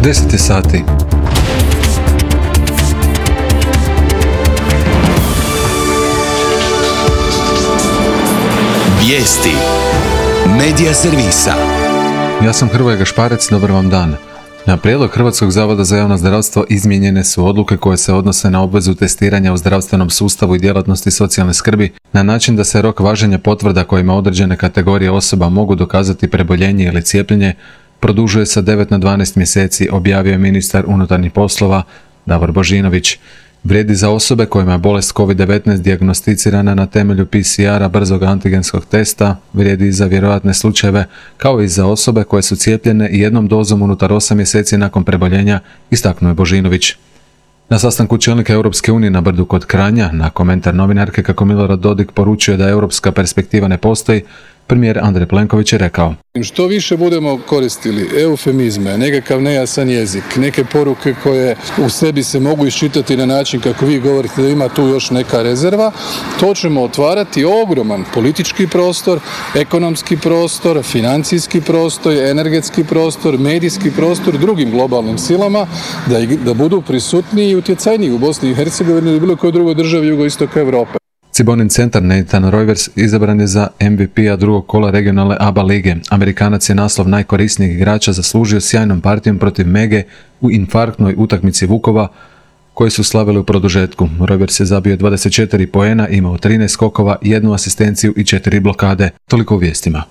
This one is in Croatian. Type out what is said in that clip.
10 je sati. Vijesti Medija servisa. Ja sam Hrvoje Gašparec, dobar vam dan. Na prijedlog Hrvatskog zavoda za javno zdravstvo izmijenjene su odluke koje se odnose na obvezu testiranja u zdravstvenom sustavu i djelatnosti socijalne skrbi na način da se rok važenja potvrda kojima određene kategorije osoba mogu dokazati preboljenje ili cijepljenje produžuje sa 9 na 12 mjeseci, objavio je ministar unutarnjih poslova Davor Božinović. Vrijedi za osobe kojima je bolest COVID-19 dijagnosticirana na temelju PCR-a brzog antigenskog testa, vrijedi i za vjerojatne slučajeve, kao i za osobe koje su cijepljene jednom dozom unutar 8 mjeseci nakon preboljenja, istaknuo je Božinović. Na sastanku čelnika Europske unije na Brdu kod Kranja, na komentar novinarke kako Milorad Dodik poručuje da europska perspektiva ne postoji, premijer Andrej Plenković je rekao: Što više budemo koristili eufemizme, nekakav nejasan jezik, neke poruke koje u sebi se mogu iščitati na način kako vi govorite da ima tu još neka rezerva, to ćemo otvarati ogroman politički prostor, ekonomski prostor, financijski prostor, energetski prostor, medijski prostor drugim globalnim silama da budu prisutniji i utjecajniji u Bosni i Hercegovini ili bilo kojoj drugoj državi jugoistoka Europe. Cibonin centar Nathan Reuvers izabran je za MVP-a drugog kola regionalne ABA lige. Amerikanac je naslov najkorisnijeg igrača zaslužio sjajnom partijom protiv Mege u infarktnoj utakmici Vukova, koje su slavili u produžetku. Reuvers je zabio 24 poena, imao 13 skokova, 1 asistenciju i 4 blokade. Toliko u vijestima.